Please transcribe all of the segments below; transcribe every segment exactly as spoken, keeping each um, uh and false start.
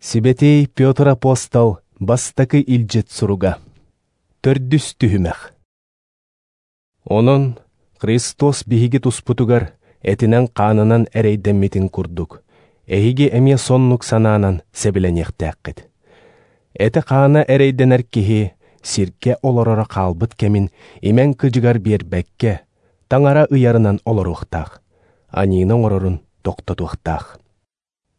Сибэтиэй Петр апостол бастакы илдьит суруга. Төрдүс түһүмэх. Онон Христос биһиги туспутугар этинэн-хаанынан эрэйдэммитин курдук, эһиги эмиэ соннук санаанан сэбилэниэхтээххит. Этэ-хаана эрэйдэнэр киһи сиргэ олороро хаалбыт кэмин имэн кыдьыгар биэрбэккэ, таҥара ыйарынан олоруохтаах, аньыыны оҥорорун тохтотуохтаах.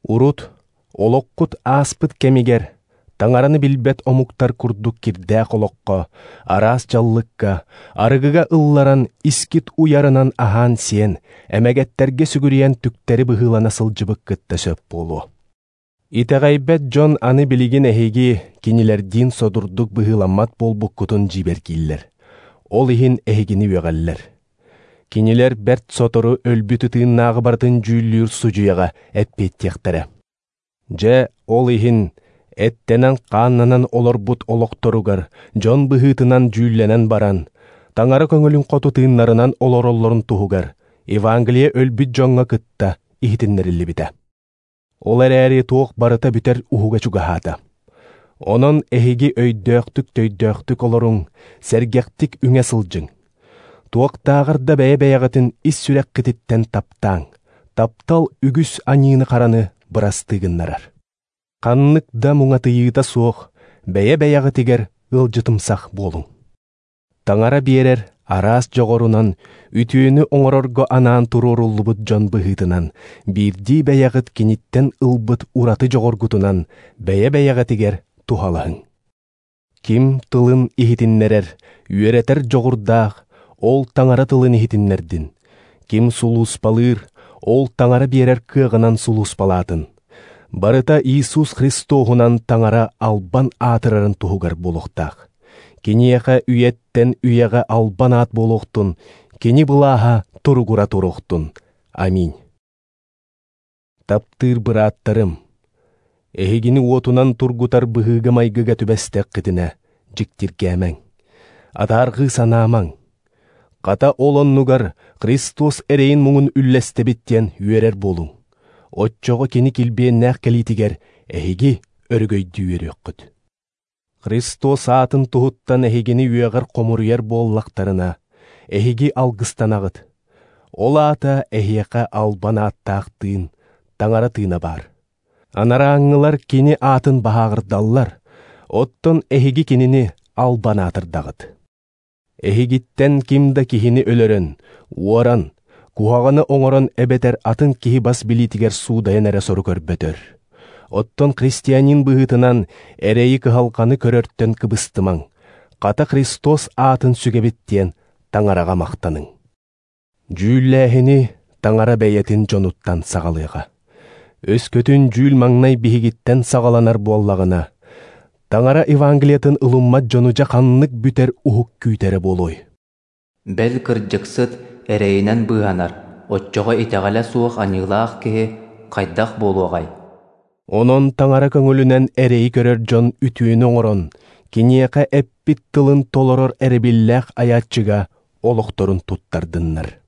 Урут олоххут ааспыт кэмигэр таҥараны билбэт омуктар курдук кирдээх олоххо, араас дьаллыкка, арыгыга ылларан искит уйарынан аһаан сиэн, эмэгэттерге сүгүрүйэн түктэри быһыылана сылдьыбыккытта сөп буолуо. Итэҕэйбэт дьон аны билигин эһиги кинилэрдиин содурдук быһыыламмат буолбуккутун дьиибэргииллэр. Ол иһин эһигини үөҕэллэр. Кинилэр бэрт сотору өлбүт ытыыннааҕы барытын дьүүллүүр судьуйаҕа эппиэттиэхтэрэ. Дьэ, ол иһин эттэнэн хааннанан олорбут олохторугар дьон быһыытынан дьүүллэнэн баран, таҥара көҥүлүн хоту тыыннарынан олороллорун туһугар Евангелие өлбүт дьоҥҥо кытта иһитиннэриллибитэ. Ол эрээри туох барыта бүтэр уһуга чугаһаата. Онон эһиги өйдөөхтүк-төйдөөхтүк олоруҥ, сэргэхтик үҥэ сылдьыҥ. Туохтааҕар да бэйэ-бэйэҕитин ис сүрэххититтэн таптааҥ. Таптал үгүс аньыыны хараны бырастыгыннарар. Ханнык да муҥатыйыыта суох, бэйэ-бэйэҕитигэр ыалдьытымсах буолуҥ. Таҥара биэрэр араас дьоҕорунан үтүөнү оҥорорго анаан туруоруллубут дьон быһыытынан, биирдии бэйэҕит киниттэн ылбыт ураты дьоҕоргутунан бэйэ-бэйэҕитигэр туһалаһыҥ. Ким тылын иһитиннэрэр, үөрэтэр дьоҕурдаах, ол таҥара тылын иһитиннэрдин. Ким сулууспалыыр, ол таҥара биэрэр кыаҕынан сулууспалаатын. Барыта Иисус Христоһунан таҥара албан аатырарын туһугар буолуохтаах. Киниэхэ үйэттэн үйэҕэ албан аат буолуохтун, кини былааһа туругура туруохтун. Аминь. Таптыыр бырааттарым, эһигини уотунан тургутар быһыыга майгыга түбэстэххитинэ дьиктиргээмэҥ, атаарҕыы санаамаҥ. Хата ол оннугар Христос эрэйин муҥун үллэстэбит диэн үөрэр буолуҥ. Отчоҕо кини килбиэннээх кэлиитигэр эһиги өрөгөйдүү үөрүөххүт. Христос аатын туһуттан эһигини үөҕэр хомуруйар буоллахтарына, эһиги алгыстанаҕыт. Ол аата эһиэхэ албан ааттаах тыын, таҥара тыына баар. Анарааңҥылар кини аатын баһааҕырдаллар, оттон эһиги кинини албан аатырдаҕыт. Эһигиттэн ким да киһини өлөрөн, уоран, куһаҕаны оҥорон эбэтэр атын киһи бас билиитигэр суудайан эрэ сору көрбөтөр. Оттон христианин быһыытынан эрэйи кыһалҕаны көрөртөн кыбыстымаҥ. Хата Христос аатын сүгэбит диэн таҥараҕа махтаныҥ. Дьүүллээһини таҥара бэйэтин дьонуттан саҕалыаҕа. Өскөтүн дьүүл маҥнай биһигиттэн саҕаланар буоллаҕына, таҥара Евангелиятын ылыммат дьону дьэ ханнык бүтэр уһук күүтэрэ буолуой. Бэл кырдьыксыт эрэйинэн быыһанар, оччоҕо итэҕэлэ суох аньыылаах киһи хайдах буолуоҕай? Онон таҥара көҥүлүнэн эрэйи көрөр дьон үтүөнү оҥорон, киниэхэ эппит тылын толорор эрэбиллээх айааччыга олохторун туттардыннар.